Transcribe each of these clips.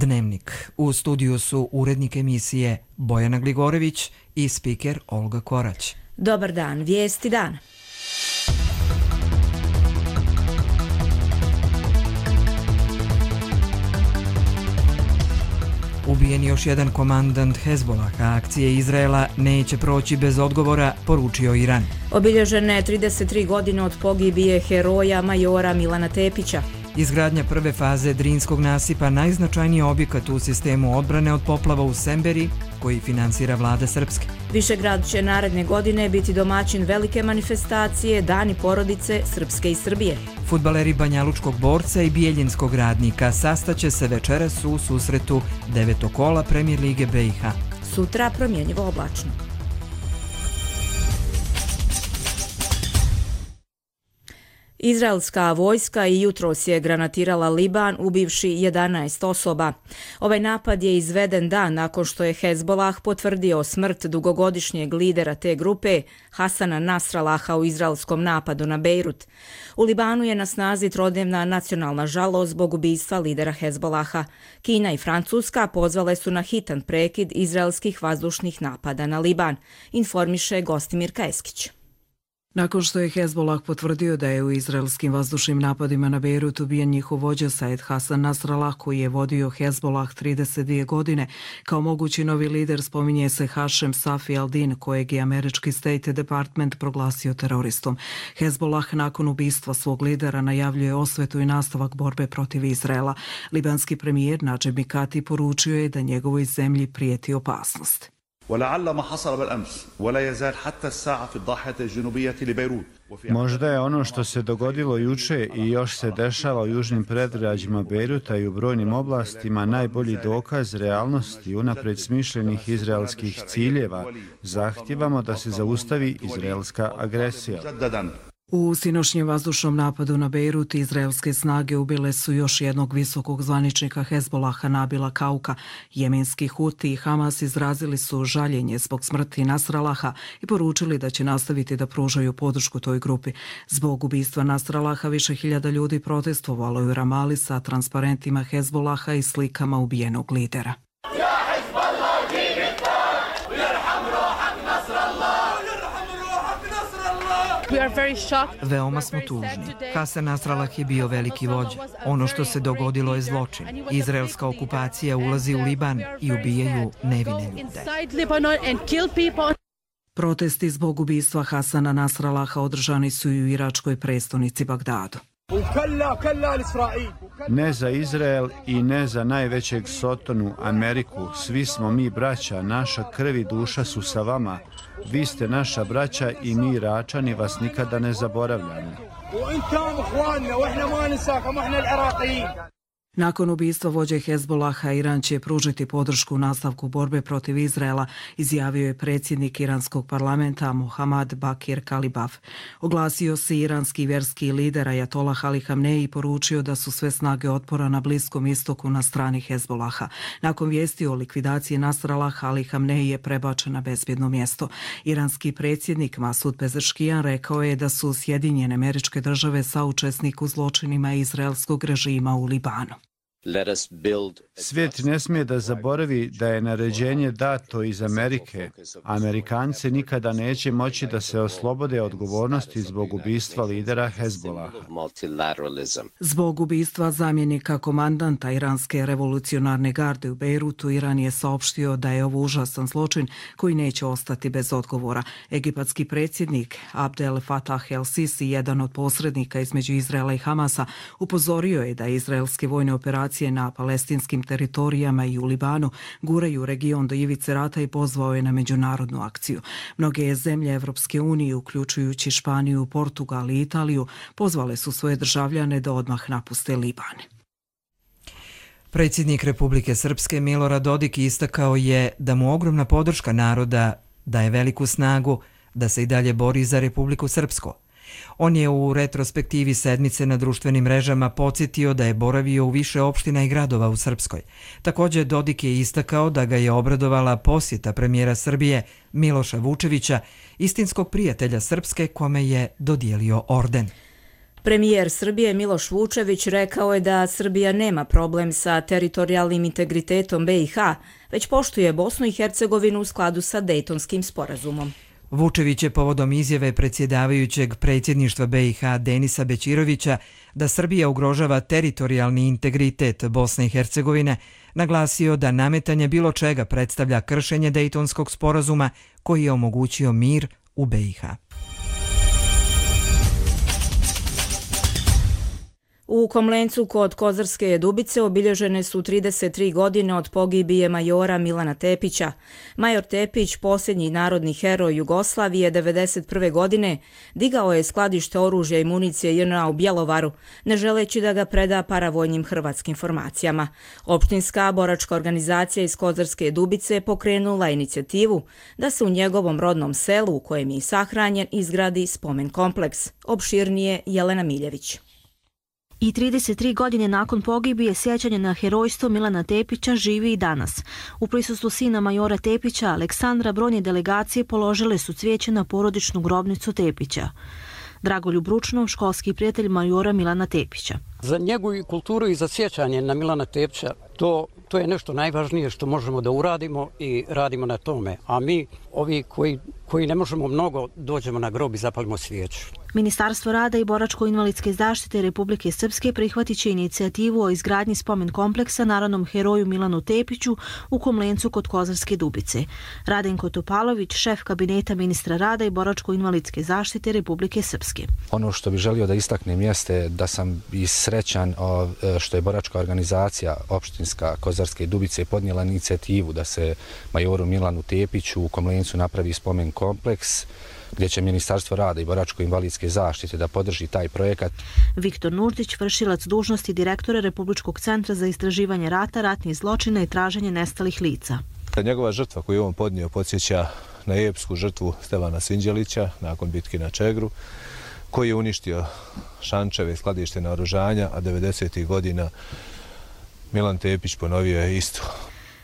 Dnevnik. U studiju su urednik emisije Bojana Gligorević i spiker Olga Korać. Dobar dan, vijesti dana. Ubijen još jedan komandant Hezbolaha, akcije Izraela neće proći bez odgovora, poručio Iran. Obilježene 33 godine od pogibije heroja majora Milana Tepića. Izgradnja prve faze Drinskog nasipa, najznačajniji objekat u sistemu odbrane od poplava u Semberi, koji finansira vlada Srpske. Višegrad će naredne godine biti domaćin velike manifestacije Dani porodice Srpske i Srbije. Fudbaleri Banjalučkog Borca i Bijeljinskog Radnika sastaće se večeras u susretu 9. kola Premijer lige BiH. Sutra promjenjivo oblačno. Izraelska vojska i jutros je granatirala Liban, ubivši 11 osoba. Ovaj napad je izveden dan nakon što je Hezbolah potvrdio smrt dugogodišnjeg lidera te grupe, Hasana Nasralaha, u izraelskom napadu na Bejrut. U Libanu je na snazi trodnevna nacionalna žalost zbog ubistva lidera Hezbolaha. Kina i Francuska pozvale su na hitan prekid izraelskih vazdušnih napada na Liban, informiše Gostimir Kajeskić. Nakon što je Hezbolah potvrdio da je u izraelskim vazdušnim napadima na Bejrut ubijen njihov vođa Said Hasan Nasrallah, koji je vodio Hezbolah 32 godine, kao mogući novi lider spominje se Hašem Safi al-Din, kojeg je američki State Department proglasio teroristom. Hezbolah nakon ubistva svog lidera najavljuje osvetu i nastavak borbe protiv Izraela. Libanski premijer Nadžib Mikati poručio je da njegovoj zemlji prijeti opasnost. Možda je ono što se dogodilo juče i još se dešava u južnim predgrađima Bejruta i u brojnim oblastima najbolji dokaz realnosti unapred smišljenih izraelskih ciljeva. Zahtijevamo da se zaustavi izraelska agresija. U sinoćnjem vazdušnom napadu na Bejrut izraelske snage ubile su još jednog visokog zvaničnika Hezbolaha Nabila Kauka. Jemenski Huti i Hamas izrazili su žaljenje zbog smrti Nasralaha i poručili da će nastaviti da pružaju podršku toj grupi. Zbog ubistva Nasralaha više hiljada ljudi protestovalo je u Ramali sa transparentima Hezbolaha i slikama ubijenog lidera. Veoma smo tužni. Hasan Nasrallah je bio veliki vođa. Ono što se dogodilo je zločin. Izraelska okupacija ulazi u Liban i ubijaju nevine ljude. Protesti zbog ubistva Hasana Nasralaha održani su i u iračkoj prestonici Bagdadu. Ne za Izrael i ne za najvećeg sotonu Ameriku. Svi smo mi braća, naša krv i duša su sa vama. Vi ste naša braća i mi Iračani vas nikada ne zaboravljamo. Nakon ubistva vođe Hezbolaha, Iran će pružiti podršku u nastavku borbe protiv Izraela, izjavio je predsjednik iranskog parlamenta Mohammad Bakir Kalibaf. Oglasio se iranski vjerski lider Ajatolah Ali Hamneji i poručio da su sve snage otpora na Bliskom istoku na strani Hezbolaha. Nakon vijesti o likvidaciji Nasralaha, Ali Hamneji je prebačen na bezbjedno mjesto. Iranski predsjednik Masud Pezeškijan rekao je da su Sjedinjene Američke Države saučesnik u zločinima izraelskog režima u Libanu. Svijet ne smije da zaboravi da je naređenje dato iz Amerike. Amerikanci nikada neće moći da se oslobode odgovornosti zbog ubistva lidera Hezbolaha. Zbog ubistva zamjenika komandanta Iranske revolucionarne garde u Bejrutu, Iran je saopštio da je ovo užasan zločin koji neće ostati bez odgovora. Egipatski predsjednik Abdel Fattah el-Sisi, jedan od posrednika između Izraela i Hamasa, upozorio je da izraelske vojne operacije na palestinskim teritorijama i u Libanu guraju region do ivice rata i pozvao je na međunarodnu akciju. Mnoge zemlje Evropske unije, uključujući Španiju, Portugal i Italiju, pozvale su svoje državljane da odmah napuste Liban. Predsjednik Republike Srpske Milorad Dodik istakao je da mu ogromna podrška naroda daje veliku snagu da se i dalje bori za Republiku Srpsku. On je u retrospektivi sedmice na društvenim mrežama podsjetio da je boravio u više opština i gradova u Srpskoj. Također Dodik je istakao da ga je obradovala posjeta premijera Srbije Miloša Vučevića, istinskog prijatelja Srpske, kome je dodijelio orden. Premijer Srbije Miloš Vučević rekao je da Srbija nema problem sa teritorijalnim integritetom BiH, već poštuje Bosnu i Hercegovinu u skladu sa Dejtonskim sporazumom. Vučević je povodom izjave predsjedavajućeg predsjedništva BiH Denisa Bećirovića da Srbija ugrožava teritorijalni integritet Bosne i Hercegovine naglasio da nametanje bilo čega predstavlja kršenje Dejtonskog sporazuma koji je omogućio mir u BiH. U Komlencu kod Kozarske Dubice obilježene su 33 godine od pogibije majora Milana Tepića. Major Tepić, posljednji narodni heroj Jugoslavije 1991. godine, digao je skladište oružja i municije JNA u Bjelovaru, ne želeći da ga preda paravojnim hrvatskim formacijama. Opštinska boračka organizacija iz Kozarske Dubice pokrenula inicijativu da se u njegovom rodnom selu, u kojem je sahranjen, izgradi spomen kompleks. Opširnije Jelena Miljević. I 33 godine nakon pogibije sjećanje na herojstvo Milana Tepića živi i danas. U prisustvu sina majora Tepića, Aleksandra, brojne delegacije položile su cvijeće na porodičnu grobnicu Tepića. Dragoljub Ručnov, školski prijatelj majora Milana Tepića. Za njegovu kulturu i za sjećanje na Milana Tepića to je nešto najvažnije što možemo da uradimo i radimo na tome. A mi, ovi koji ne možemo mnogo, dođemo na grob i zapalimo svijeću. Ministarstvo rada i boračko-invalidske zaštite Republike Srpske prihvatit će inicijativu o izgradnji spomen kompleksa narodnom heroju Milanu Tepiću u Komlencu kod Kozarske Dubice. Radenko Topalović, šef kabineta ministra rada i boračko-invalidske zaštite Republike Srpske. Ono što bih želio da istaknem jeste da sam i srećan što je boračka organizacija opštinska Kozarske Dubice podnijela inicijativu da se majoru Milanu Tepiću u Komlencu napravi spomen kompleks gdje će Ministarstvo rada i boračko-invalidske zaštite da podrži taj projekat. Viktor Nurdić, vršilac dužnosti direktora Republičkog centra za istraživanje rata, ratnih zločina i traženje nestalih lica. Njegova žrtva koju je on podnio podsjeća na epsku žrtvu Stevana Sinđelića nakon bitke na Čegru, koji je uništio šančeve i skladište naoružanja, a 90. godina Milan Tepić ponovio je isto.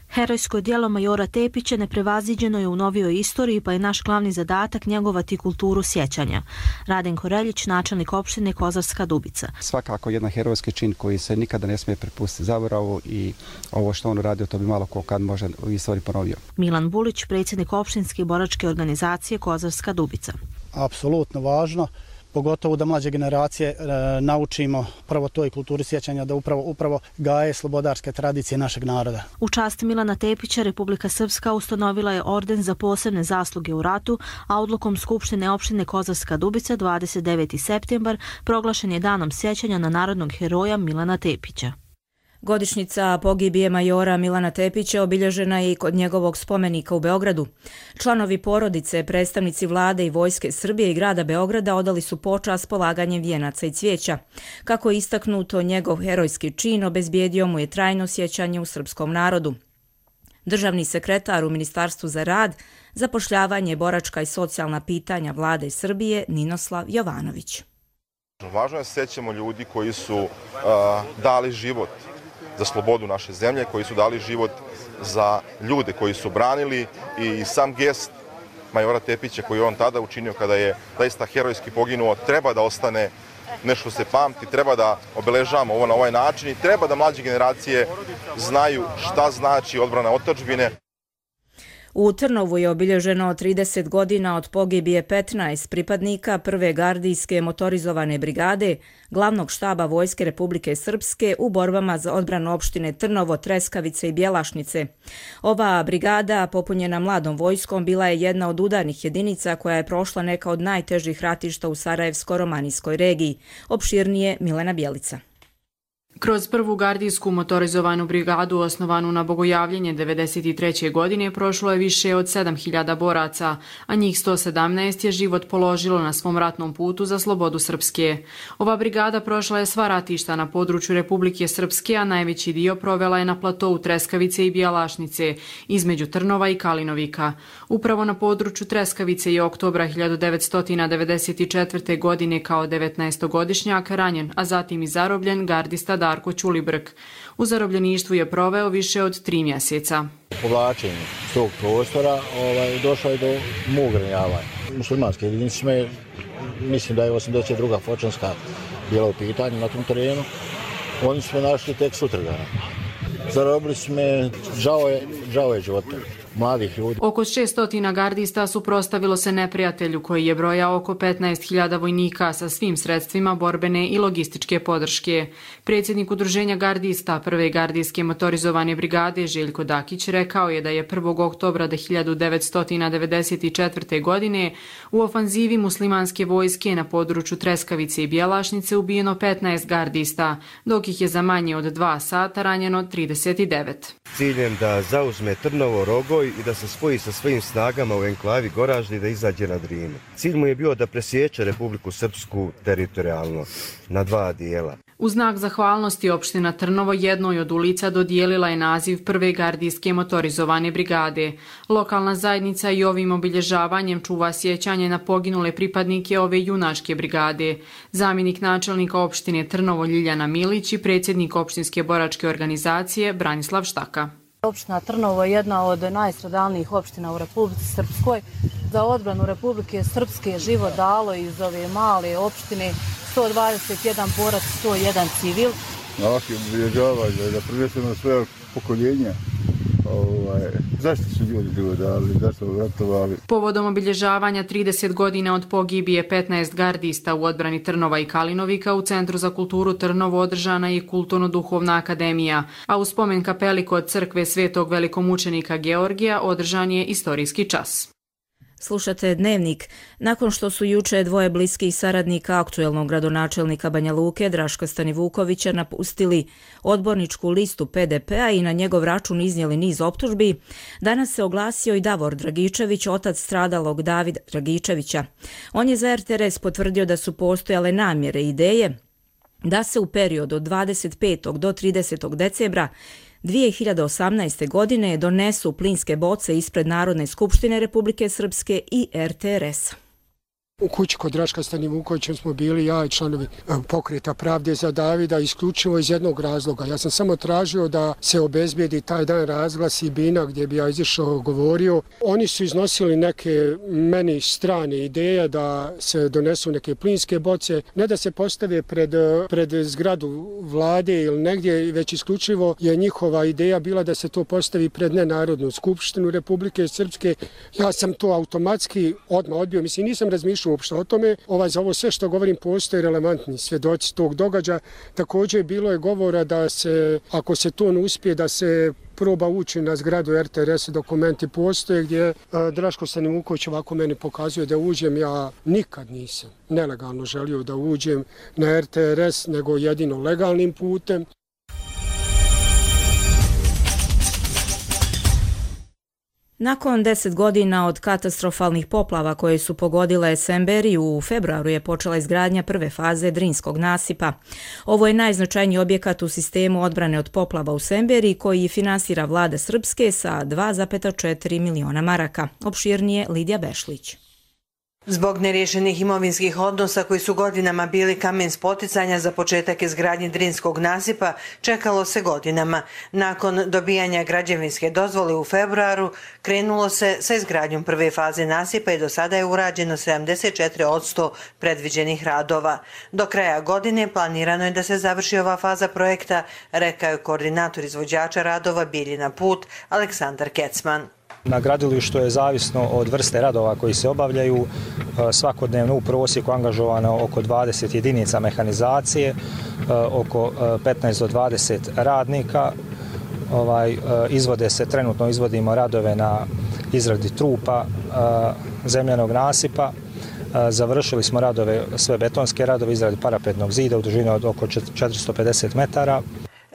Herojsko djelo majora Tepića neprevaziđeno je u novijoj istoriji, pa je naš glavni zadatak njegovati kulturu sjećanja. Radenko Reljić, načelnik opštine Kozarska Dubica. Svakako jedan herojski čin koji se nikada ne smije prepustiti zaboravu i ovo što on uradio to bi malo ko kad može u istoriji ponovio. Milan Bulić, predsjednik opštinske boračke organizacije Kozarska Dubica. Apsolutno važno, pogotovo da mlađe generacije naučimo prvo toj kulturi sjećanja, da upravo gaje slobodarske tradicije našeg naroda. U čast Milana Tepića Republika Srpska ustanovila je orden za posebne zasluge u ratu, a odlukom Skupštine opštine Kozarska Dubica 29. septembar proglašen je danom sjećanja na narodnog heroja Milana Tepića. Godišnjica pogibije majora Milana Tepića obilježena je i kod njegovog spomenika u Beogradu. Članovi porodice, predstavnici vlade i vojske Srbije i grada Beograda odali su počast polaganjem vijenaca i cvijeća. Kako je istaknuto, njegov herojski čin obezbijedio mu je trajno sjećanje u srpskom narodu. Državni sekretar u Ministarstvu za rad, zapošljavanje, boračka i socijalna pitanja vlade Srbije Ninoslav Jovanović. Važno je da se sjećamo ljudi koji su dali život za slobodu naše zemlje, koji su dali život za ljude koji su branili, i sam gest majora Tepića koji je on tada učinio kada je zaista herojski poginuo treba da ostane nešto se pamti, treba da obeležavamo ovo na ovaj način i treba da mlađe generacije znaju šta znači odbrana otadžbine. U Trnovu je obilježeno 30 godina od pogibije 15 pripadnika Prve gardijske motorizovane brigade glavnog štaba Vojske Republike Srpske u borbama za odbranu opštine Trnovo, Treskavice i Bjelašnice. Ova brigada, popunjena mladom vojskom, bila je jedna od udarnih jedinica koja je prošla neka od najtežih ratišta u Sarajevsko-romanijskoj regiji. Opširnije Milena Bjelica. Kroz Prvu gardijsku motorizovanu brigadu osnovanu na Bogojavljenje 1993. godine prošlo je više od 7000 boraca, a njih 117 je život položilo na svom ratnom putu za slobodu Srpske. Ova brigada prošla je sva ratišta na području Republike Srpske, a najveći dio provela je na platovu Treskavice i Bjelašnice, između Trnova i Kalinovika. Upravo na području Treskavice je oktobra 1994. godine kao 19-godišnjak ranjen, a zatim i zarobljen gardista Darko Ćulibrk. U zarobljeništvu je proveo više od 3 mjeseca. U povlačenju s tog prostora došlo je do mog ranjavanja. Muslimanske jedinice, mislim da je 82. Fočanska bila u pitanju na tom terenu. Oni su me našli tek sutradan. Zarobili su me, žao je života mladih ljudi. Oko 600 gardista suprotstavilo se neprijatelju koji je brojao oko 15.000 vojnika sa svim sredstvima borbene i logističke podrške. Predsjednik udruženja gardista Prve gardijske motorizovane brigade Željko Dakić rekao je da je 1. oktobra 1994. godine u ofanzivi muslimanske vojske na području Treskavice i Bjelašnice ubijeno 15 gardista, dok ih je za manje od 2 sata ranjeno 39. Ciljem da zauzme Trnovo, Rogoj i da se spoji sa svojim snagama u enklavi Goražde i da izađe na Drinu. Cilj mu je bio da presječe Republiku Srpsku teritorijalno na 2 dijela. U znak zahvalnosti opština Trnovo jednoj od ulica dodijelila je naziv Prve gardijske motorizovane brigade. Lokalna zajednica i ovim obilježavanjem čuva sjećanje na poginule pripadnike ove junačke brigade. Zamjenik načelnika opštine Trnovo Ljiljana Milić i predsjednik opštinske boračke organizacije Branislav Štaka. Opština Trnovo je jedna od najstradalnijih opština u Republici Srpskoj. Za odbranu Republike Srpske je život dalo iz ove male opštine 121 borac, 101 civil. Ovakve obilježavanje da prvenstveno svoje pokoljenja. Zašto su ljudi život dali, zašto ratovali? Povodom obilježavanja 30 godina od pogibije 15 gardista u odbrani Trnova i Kalinovika u Centru za kulturu Trnovo održana je Kulturno-duhovna akademija, a u spomen kapeli kod crkve Svetog velikomučenika Georgija održan je istorijski čas. Slušate Dnevnik. Nakon što su juče dvoje bliskih saradnika aktuelnog gradonačelnika Banja Luke, Draška Stanivukovića, napustili odborničku listu PDP-a i na njegov račun iznijeli niz optužbi, danas se oglasio i Davor Dragičević, otac stradalog Davida Dragičevića. On je za RTRS potvrdio da su postojale namjere i ideje da se u periodu od 25. do 30. decembra 2018. godine donesu plinske boce ispred Narodne skupštine Republike Srpske i RTRS-a. U kući kod Draška Stanivukovića smo bili ja i članovi Pokreta pravde za Davida isključivo iz jednog razloga. Ja sam samo tražio da se obezbijedi taj dan razglas i bina gdje bi ja izišao govorio. Oni su iznosili neke meni strane ideje da se donesu neke plinske boce, ne da se postave pred zgradu vlade ili negdje, već isključivo je njihova ideja bila da se to postavi pred Nenarodnu skupštinu Republike Srpske. Ja sam to automatski odmah odbio, mislim nisam razmišljao uopšte o tome. Za ovo sve što govorim postoje relevantni svjedoci tog događaja. Također bilo je govora da se, ako se to ne uspije, da se proba ući na zgradu RTRS, dokumenti postoje gdje Draško Stanivuković ovako meni pokazuje da uđem. Ja nikad nisam nelegalno želio da uđem na RTRS, nego jedino legalnim putem. Nakon 10 godina od katastrofalnih poplava koje su pogodile Semberiju, u februaru je počela izgradnja prve faze Drinskog nasipa. Ovo je najznačajniji objekat u sistemu odbrane od poplava u Semberiji koji finansira vlada Srpske sa 2,4 miliona maraka. Opširnije Lidija Bešlić. Zbog neriješenih imovinskih odnosa koji su godinama bili kamen spoticanja za početak izgradnje Drinskog nasipa, čekalo se godinama. Nakon dobijanja građevinske dozvole u februaru, krenulo se sa izgradnjom prve faze nasipa i do sada je urađeno 74% predviđenih radova. Do kraja godine planirano je da se završi ova faza projekta, rekao je koordinator izvođača radova Biljina Put, Aleksandar Kecman. Na gradilištu je zavisno od vrste radova koji se obavljaju. Svakodnevno u prosjeku angažovano oko 20 jedinica mehanizacije, oko 15 do 20 radnika. Trenutno izvodimo radove na izradi trupa zemljanog nasipa. Završili smo radove, sve betonske radove, izradi parapetnog zida u dužini od oko 450 metara.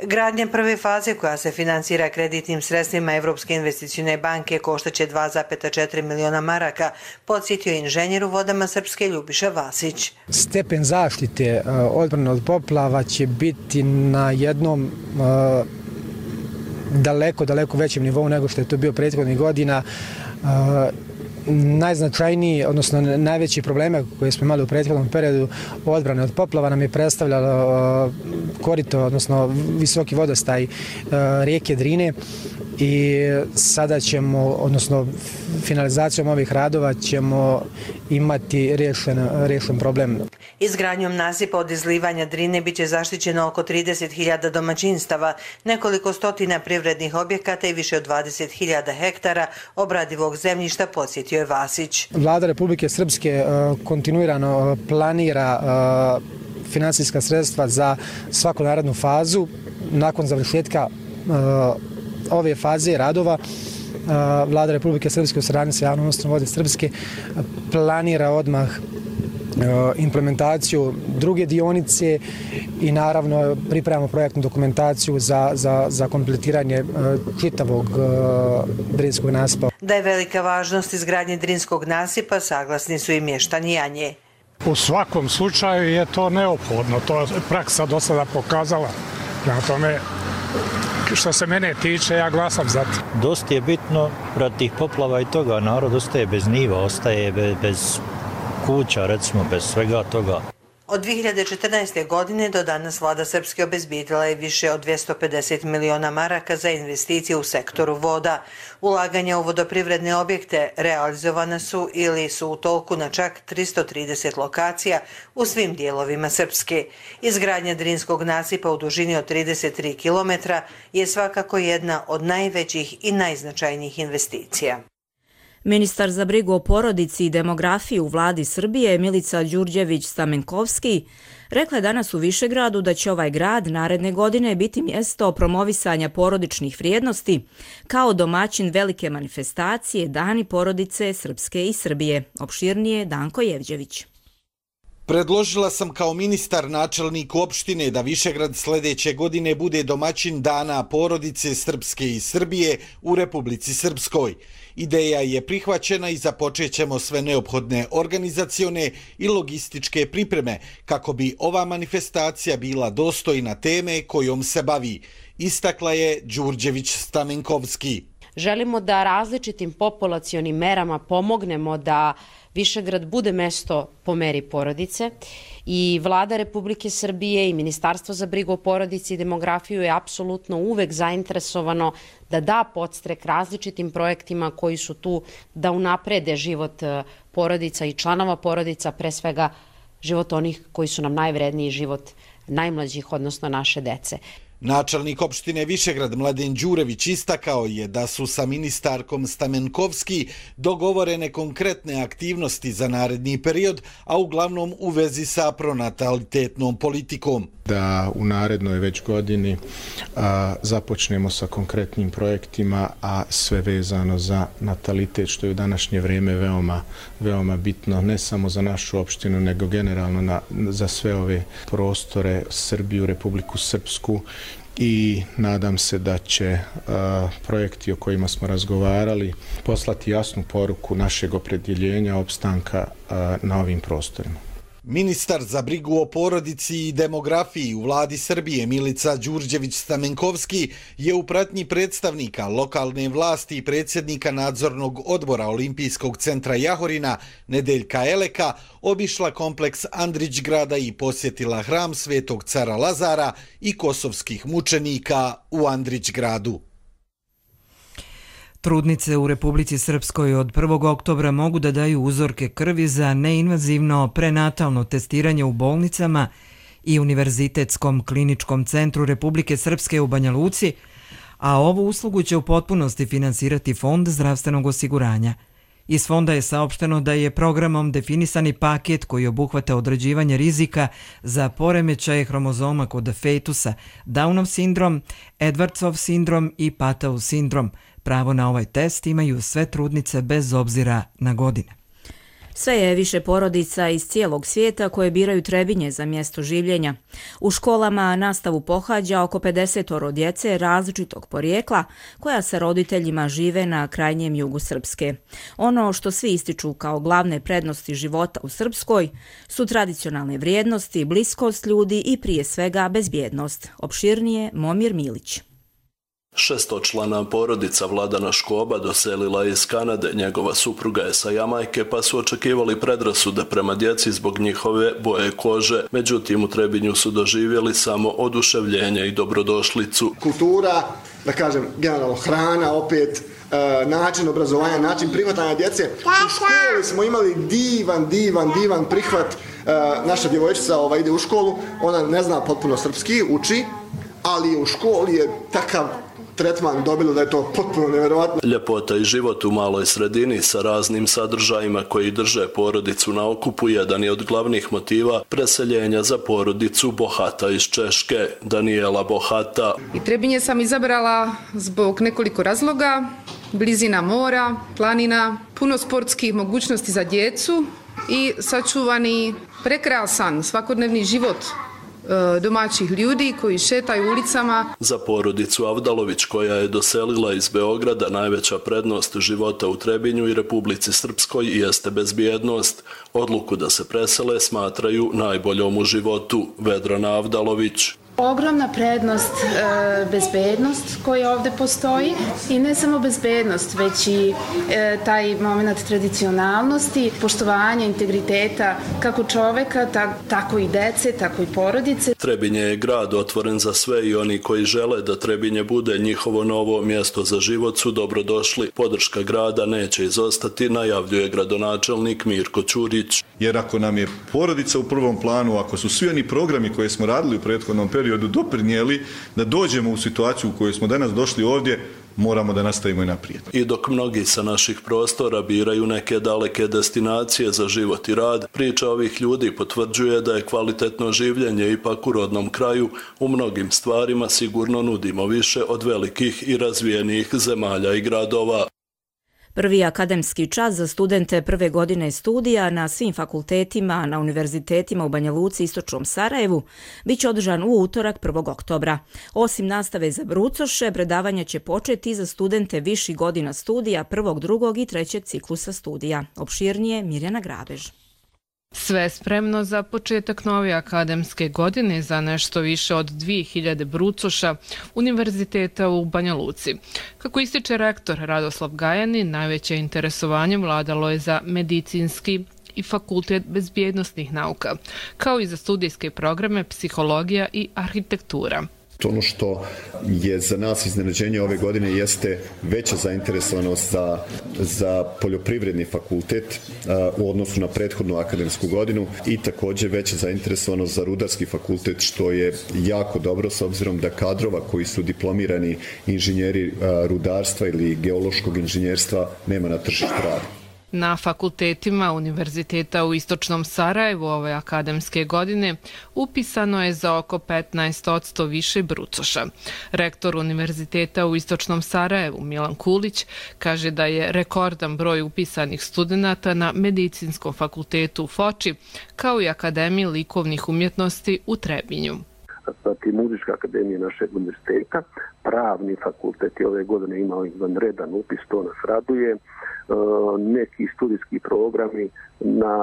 Gradnja prve faze koja se finansira kreditnim sredstvima Evropske investicione banke koštaće 2,4 miliona maraka, podsjetio inženjer u vodama Srpske Ljubiša Vasić. Stepen zaštite odbrane od poplava će biti na jednom daleko većem nivou nego što je to bio prethodnih godina. najznačajniji, odnosno najveći probleme koje smo imali u prethodnom periodu odbrane od poplava nam je predstavljalo korito, odnosno visoki vodostaj rijeke Drine i sada ćemo, odnosno finalizacijom ovih radova ćemo imati rješen problem. Izgradnjom nasipa od izlivanja Drine biće zaštićeno oko 30.000 domaćinstava, nekoliko stotina privrednih objekata i više od 20.000 hektara obradivog zemljišta, podsjetio je Vasić. Vlada Republike Srpske kontinuirano planira finansijska sredstva za svaku narednu fazu. Nakon završetka ove faze radova Vlada Republike Srpske u saradnji sa Javnom ustanovom Vode Srpske planira odmah implementaciju druge dionice i naravno pripremamo projektnu dokumentaciju za kompletiranje čitavog Drinskog nasipa. Da je velika važnost izgradnje Drinskog nasipa, saglasni su i mještani Janje. U svakom slučaju je to neophodno, to je praksa do sada pokazala. Prema tome, što se mene tiče, ja glasam za to. Dosta je bitno radi tih poplava i toga, narod ostaje bez njiva, ostaje bez kuća, recimo, bez svega toga. Od 2014. godine do danas Vlada Srpske obezbijedila je više od 250 miliona maraka za investicije u sektoru voda. Ulaganja u vodoprivredne objekte realizovana su ili su u toku na čak 330 lokacija u svim dijelovima Srpske. Izgradnja Drinskog nasipa u dužini od 33 km je svakako jedna od najvećih i najznačajnijih investicija. Ministar za brigu o porodici i demografiju u vladi Srbije Milica Đurđević-Stamenkovski rekla je danas u Višegradu da će ovaj grad naredne godine biti mjesto promovisanja porodičnih vrijednosti kao domaćin velike manifestacije Dani porodice Srpske i Srbije. Opširnije Danko Jevđević. Predložila sam kao ministar načelniku opštine da Višegrad sljedeće godine bude domaćin Dana porodice Srpske i Srbije u Republici Srpskoj. Ideja je prihvaćena i započet ćemo sve neophodne organizacione i logističke pripreme kako bi ova manifestacija bila dostojna teme kojom se bavi, istakla je Đurđević-Stamenkovski. Želimo da različitim populacionim merama pomognemo da Višegrad bude mesto po meri porodice i Vlada Republike Srbije i Ministarstvo za brigu o porodici i demografiju je apsolutno uvek zainteresovano da da podstrek različitim projektima koji su tu da unaprede život porodica i članova porodica, pre svega život onih koji su nam najvredniji, život najmlađih, odnosno naše dece. Načelnik opštine Višegrad Mladen Đurević istakao je da su sa ministarkom Stamenkovski dogovorene konkretne aktivnosti za naredni period, a uglavnom u vezi sa pronatalitetnom politikom. Da u narednoj već godini započnemo sa konkretnim projektima, a sve vezano za natalitet, što je u današnje vrijeme veoma bitno, ne samo za našu opštinu, nego generalno za sve ove prostore, Srbiju, Republiku Srpsku. I nadam se da će projekti o kojima smo razgovarali poslati jasnu poruku našeg opredjeljenja opstanka na ovim prostorima. Ministar za brigu o porodici i demografiji u vladi Srbije Milica Đurđević-Stamenkovski je u pratnji predstavnika lokalne vlasti i predsjednika nadzornog odbora Olimpijskog centra Jahorina Nedeljka Eleka obišla kompleks Andrićgrada i posjetila hram Svetog cara Lazara i kosovskih mučenika u Andrićgradu. Trudnice u Republici Srpskoj od 1. oktobra mogu da daju uzorke krvi za neinvazivno prenatalno testiranje u bolnicama i Univerzitetskom kliničkom centru Republike Srpske u Banja Luci, a ovu uslugu će u potpunosti finansirati Fond zdravstvenog osiguranja. Iz fonda je saopšteno da je programom definisani paket koji obuhvata određivanje rizika za poremećaje hromozoma kod fetusa, Downov sindrom, Edwardsov sindrom i Patau sindrom. Pravo na ovaj test imaju sve trudnice bez obzira na godine. Sve je više porodica iz cijelog svijeta koje biraju Trebinje za mjesto življenja. U školama nastavu pohađa oko 50 djece različitog porijekla koja sa roditeljima žive na krajnjem jugu Srpske. Ono što svi ističu kao glavne prednosti života u Srpskoj su tradicionalne vrijednosti, bliskost ljudi i prije svega bezbjednost. Opširnije Momir Milić. Šestočlana porodica Vladana Škoba doselila je iz Kanade, njegova supruga je sa Jamajke, pa su očekivali predrasude prema djeci zbog njihove boje kože. Međutim, u Trebinju su doživjeli samo oduševljenje i dobrodošlicu. Kultura, da kažem, generalno hrana, opet način obrazovanja, način prihvatanja djece. U školi smo imali divan prihvat. Naša djevojčica ide u školu, ona ne zna potpuno srpski, uči, ali u školi je takav tretman dobilo da je to potpuno nevjerovatno. Ljepota i život u maloj sredini sa raznim sadržajima koji drže porodicu na okupu jedan je od glavnih motiva preseljenja za porodicu Bohata iz Češke, Danijela Bohata. I Trebinje sam izabrala zbog nekoliko razloga: blizina mora, planina, puno sportskih mogućnosti za djecu i sačuvani prekrasan svakodnevni život domaćih ljudi koji šetaju ulicama. Za porodicu Avdalović, koja je doselila iz Beograda, najveća prednost života u Trebinju i Republici Srpskoj jeste bezbjednost. Odluku da se presele smatraju najboljom u životu. Vedrana Avdalović. Ogromna prednost, bezbednost koja ovdje postoji i ne samo bezbednost, već i taj moment tradicionalnosti, poštovanja, integriteta kako čoveka, tako i dece, tako i porodice. Trebinje je grad otvoren za sve i oni koji žele da Trebinje bude njihovo novo mjesto za život su dobrodošli. Podrška grada neće izostati, najavljuje gradonačelnik Mirko Ćurić. Jer ako nam je porodica u prvom planu, ako su svi oni programi koje smo radili u prethodnom periodu doprinijeli da dođemo u situaciju u kojoj smo danas došli ovdje, moramo da nastavimo i naprijed. I dok mnogi sa naših prostora biraju neke daleke destinacije za život i rad, priča ovih ljudi potvrđuje da je kvalitetno življenje ipak u rodnom kraju. U mnogim stvarima sigurno nudimo više od velikih i razvijenih zemalja i gradova. Prvi akademski čas za studente prve godine studija na svim fakultetima na univerzitetima u Banja Luci i Istočnom Sarajevu biće održan u utorak 1. oktobra. Osim nastave za brucoše, predavanja će početi za studente viših godina studija 1., 2. i 3. ciklusa studija. Opširnije Mirjana Grabež. Sve spremno za početak nove akademske godine za nešto više od 2000 brucoša univerziteta u Banja Luci. Kako ističe rektor Radoslav Gajanin, najveće interesovanje vladalo je za medicinski i fakultet bezbjednosnih nauka, kao i za studijske programe psihologija i arhitektura. Ono što je za nas iznenađenje ove godine jeste veća zainteresovanost za poljoprivredni fakultet u odnosu na prethodnu akademsku godinu i također veća zainteresovanost za rudarski fakultet, što je jako dobro s obzirom da kadrova koji su diplomirani inženjeri rudarstva ili geološkog inženjerstva nema na tržištu rada. Na fakultetima Univerziteta u Istočnom Sarajevu ove akademske godine upisano je za oko 15% više brucoša. Rektor Univerziteta u Istočnom Sarajevu Milan Kulić kaže da je rekordan broj upisanih studenata na Medicinskom fakultetu u Foči, kao i Akademiji likovnih umjetnosti u Trebinju. Zatim Muzička akademija našeg univerziteta, Pravni fakultet je ove godine imao izvanredan upis, to nas raduje. Neki studijski programi na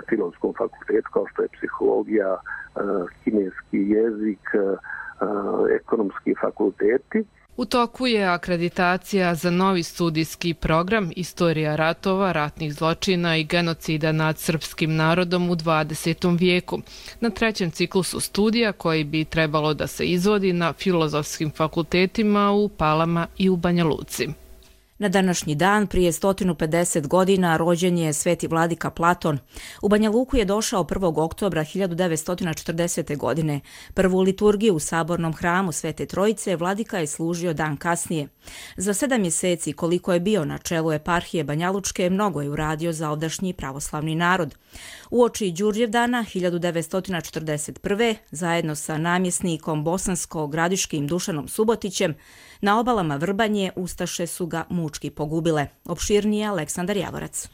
Filozofskom fakultetu kao što je psihologija, kineski jezik, ekonomski fakulteti. U toku je akreditacija za novi studijski program Istorija ratova, ratnih zločina i genocida nad srpskim narodom u 20. vijeku na 3. ciklusu studija koji bi trebalo da se izvodi na filozofskim fakultetima u Palama i u Banja Luci. Na današnji dan, prije 150 godina, rođen je sveti vladika Platon. U Banja Luku je došao 1. oktobra 1940. godine. Prvu liturgiju u sabornom hramu Svete Trojice vladika je služio dan kasnije. Za 7 mjeseci koliko je bio na čelu eparhije Banjalučke, mnogo je uradio za ovdašnji pravoslavni narod. Uoči Đurđevdana 1941. zajedno sa namjesnikom bosansko-gradiškim Dušanom Subotićem na obalama Vrbanje ustaše su ga mučki pogubile. Opširnije Aleksandar Javorac.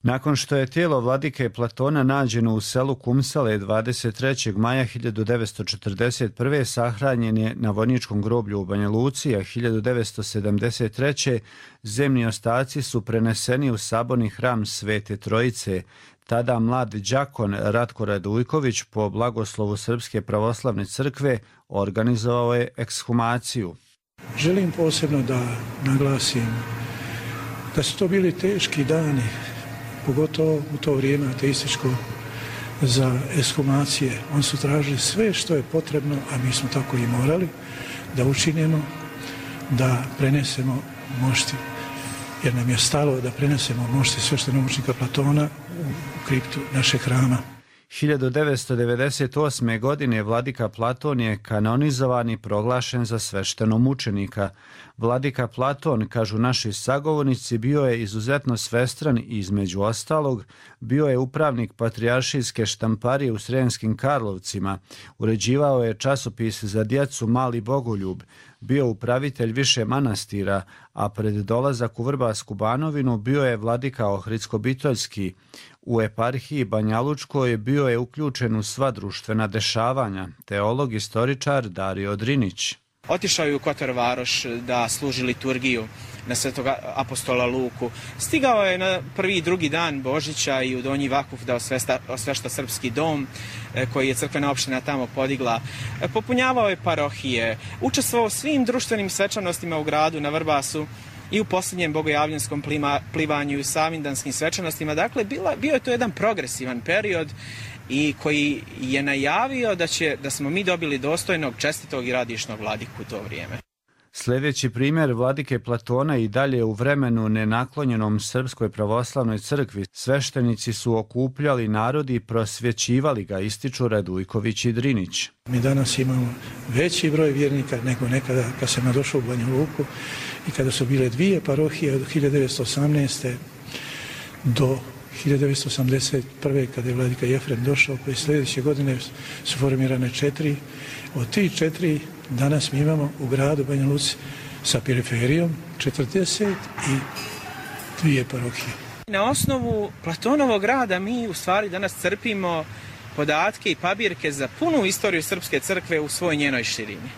Nakon što je tijelo vladike Platona nađeno u selu Kumsale 23. maja 1941. sahranjen je na vojničkom groblju u Banja Luci, a 1973. zemni ostaci su preneseni u saborni hram Svete Trojice. Tada mlad đakon Ratko Radujković po blagoslovu Srpske pravoslavne crkve organizovao je ekshumaciju. Želim posebno da naglasim da su to bili teški dani, pogotovo u to vrijeme ateističko, za ekshumacije. Oni su tražili sve što je potrebno, a mi smo tako i morali da učinimo, da prenesemo mošti, jer nam je stalo da prenesemo mošti sveštenomučenika Platona u kriptu našeg hrama. 1998. godine vladika Platon je kanonizovan i proglašen za sveštenomučenika. Vladika Platon, kažu naši sagovornici, bio je izuzetno svestran i između ostalog bio je upravnik patrijaršijske štamparije u Sremskim Karlovcima, uređivao je časopis za djecu Mali Bogoljub, bio upravitelj više manastira, a pred dolazak u Vrbarsku Banovinu bio je vladika Ohridsko-Bitoljski. U eparhiji Banjalučkoj bio je uključen u sva društvena dešavanja, teolog istoričar Dario Drinić. Otišao je u Kotor Varoš da služi liturgiju na Svetog apostola Luku. Stigao je na prvi i drugi dan Božića i u Donji Vakuf da osvešta srpski dom koji je crkvena opština tamo podigla. Popunjavao je parohije, učestvovao u svim društvenim svečanostima u gradu na Vrbasu i u posljednjem bogojavljenskom plivanju i u savindanskim svečanostima. Dakle, bio je to jedan progresivan period i koji je najavio da smo mi dobili dostojnog, čestitog i radišnog vladiku u to vrijeme. Sljedeći primjer vladike Platona i dalje u vremenu nenaklonjenom Srpskoj pravoslavnoj crkvi. Sveštenici su okupljali narod i prosvjećivali ga, ističu Radujković i Drinić. Mi danas imamo veći broj vjernika nego nekada kad sam došao u Banja Luku i kada su bile dvije parohije od 1918. do 1981. kada je vladika Jefrem došao, pa i sljedeće godine su formirane 4. Od tih 4 danas mi imamo u gradu Banja Luci sa periferijom 42 parohije. Na osnovu Platonovog rada mi u stvari danas crpimo podatke i pabirke za punu istoriju Srpske crkve u svoj njenoj širini.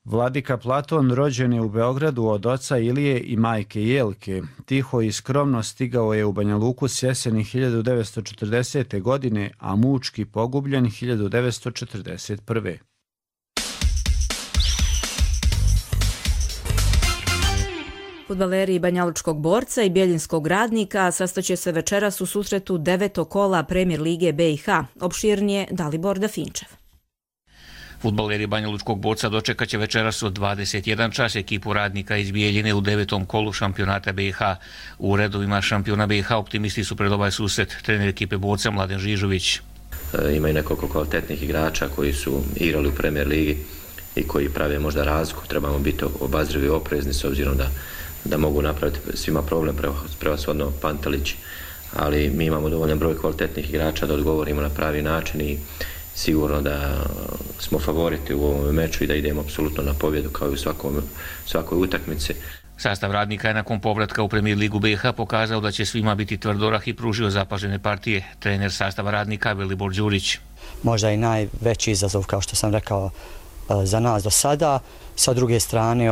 Vladika Platon rođen je u Beogradu od oca Ilije i majke Jelke. Tiho i skromno stigao je u Banja Luku s jeseni 1940. godine, a mučki pogubljen 1941. Fudbaleri Banjalučkog Borca i Bjeljinskog Radnika sastaće se večeras u susretu 9. kola Premier lige BiH. Opširnije Dalibor Dafinčev. Fudbaleri Banjalučkog Borca dočekat će večeras od 21 čas ekipu Radnika iz Bijeljine u 9. kolu šampionata BiH. U redovima šampiona BiH optimisti su pred ovaj susret trener ekipe Borca Mladen Žižović. Ima i nekoliko kvalitetnih igrača koji su igrali u Premier ligi i koji prave možda razliku. Trebamo biti obazrivi i oprezni s obzirom da mogu napraviti svima problem, prevashodno Pantelić, ali mi imamo dovoljan broj kvalitetnih igrača da odgovorimo na pravi način i sigurno da smo favoriti u ovom meču i da idemo apsolutno na pobjedu kao i u svakoj utakmici. Sastav Radnika je nakon povratka u Premier ligu BiH pokazao da će svima biti tvrdorah i pružio zapažene partije. Trener sastava Radnika Velibor Đurić. Možda i najveći izazov, kao što sam rekao, za nas do sada. Sa druge strane,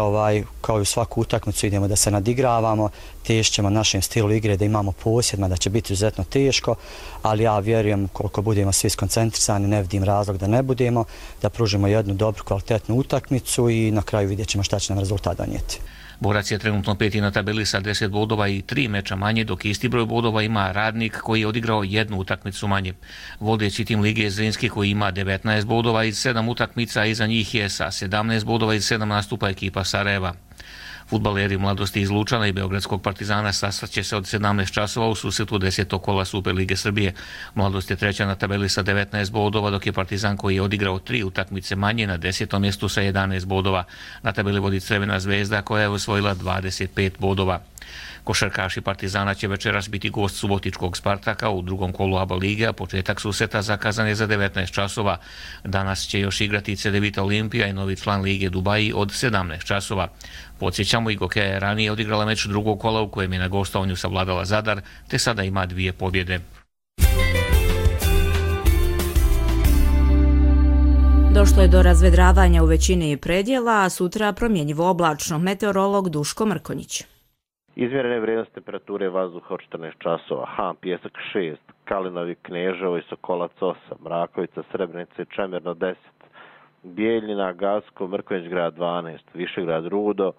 kao i u svaku utakmicu idemo da se nadigravamo, tešćemo našem stilu igre, da imamo posjed, da će biti izuzetno teško, ali ja vjerujem koliko budemo svi skoncentrisani, ne vidim razlog da ne budemo, da pružimo jednu dobru, kvalitetnu utakmicu i na kraju vidjet ćemo šta će nam rezultat donijeti. Borac je trenutno 5. na tabeli sa 10 bodova i 3 meča manje, dok isti broj bodova ima Radnik koji je odigrao jednu utakmicu manje. Vodeći tim lige je Zrinski koji ima 19 bodova iz 7 utakmica, a iza njih je sa 17 bodova iz 7 nastupa ekipa Sarajeva. Fudbaleri Mladosti iz Lučana i Beogradskog Partizana sastaće se od 17 časova u susretu 10. kola Super lige Srbije. Mladost je treća na tabeli sa 19 bodova, dok je Partizan koji je odigrao 3 utakmice manje na 10. mjestu sa 11 bodova. Na tabeli vodi Crvena zvezda koja je osvojila 25 bodova. Košarkaši Partizana će večeras biti gost subotičkog Spartaka u drugom kolu ABA lige, a početak susreta zakazan je za 19 časova. Danas će još igrati Cedevita Olimpija i novi član lige Dubaji od 17 časova. Podsjećamo, Igokeja je ranije odigrala meč drugog kola u kojem je na gostovanju savladala Zadar, te sada ima 2 pobjede. Došlo je do razvedravanja u većini predjela, a sutra promjenjivo oblačno. Meteorolog Duško Mrkonjić. Izmjerene vrijednosti temperature vazduha od 14 časova, Han, Pjesak 6, Kalinovi, Kneževo i Sokolac 8, Mrakovica, Srebrenica i Čemerno 10, Bijeljina, Gacko, Mrkonjić grad 12, Višegrad, Rudo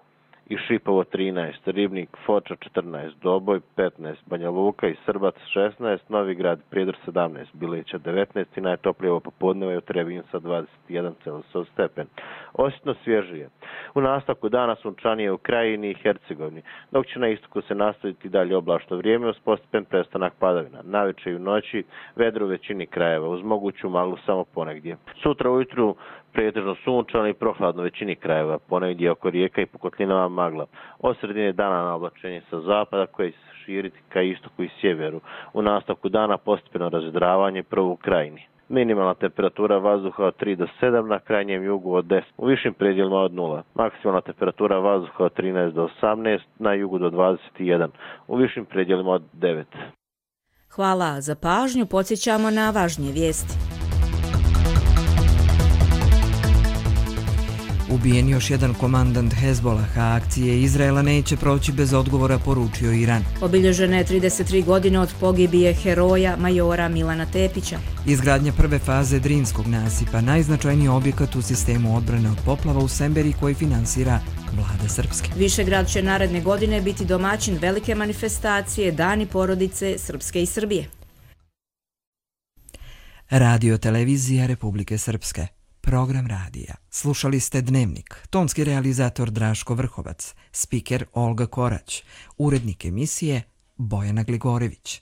i Šipovo 13, Ribnik, Foča 14, Doboj 15, Banja Luka i Srbac 16, Novigrad, Prijedor 17, Bileća 19 i najtoplije ovo popodneva je u Trebinju sa 21,8 stepen. Osjetno svježije. U nastavku dana sunčanije u Krajini i Hercegovini, dok će na istoku se nastaviti dalje oblačno vrijeme uz postepen prestanak padavina. Navečer i u noći vedro u većini krajeva uz moguću maglu samo ponegdje. Sutra ujutru pretežno sunčano i prohladno većini krajeva, ponegdje oko rijeka i po kotlinama magla. Od sredine dana na oblačenje sa zapada koje će se širiti ka istoku i sjeveru. U nastavku dana postepeno razvedravanje prvo u Krajini. Minimalna temperatura vazduha od 3 do 7, na krajnjem jugu od 10, u višim predjelima od 0. Maksimalna temperatura vazduha od 13 do 18, na jugu do 21, u višim predjelima od 9. Hvala za pažnju, podsjećamo na važnije vijesti. Ubijen još jedan komandant Hezbolaha, akcije Izraela neće proći bez odgovora, poručio Iran. Obilježena je 33 godine od pogibije heroja majora Milana Tepića. Izgradnja prve faze Drinskog nasipa, najznačajniji objekat u sistemu odbrane od poplava u Semberi koji finansira vlada Srpske. Višegrad će naredne godine biti domaćin velike manifestacije Dani porodice Srpske i Srbije. Radio televizija Republike Srpske. Program radija. Slušali ste Dnevnik. Tonski realizator Draško Vrhovac. Spiker Olga Korać. Urednik emisije Bojana Gligorević.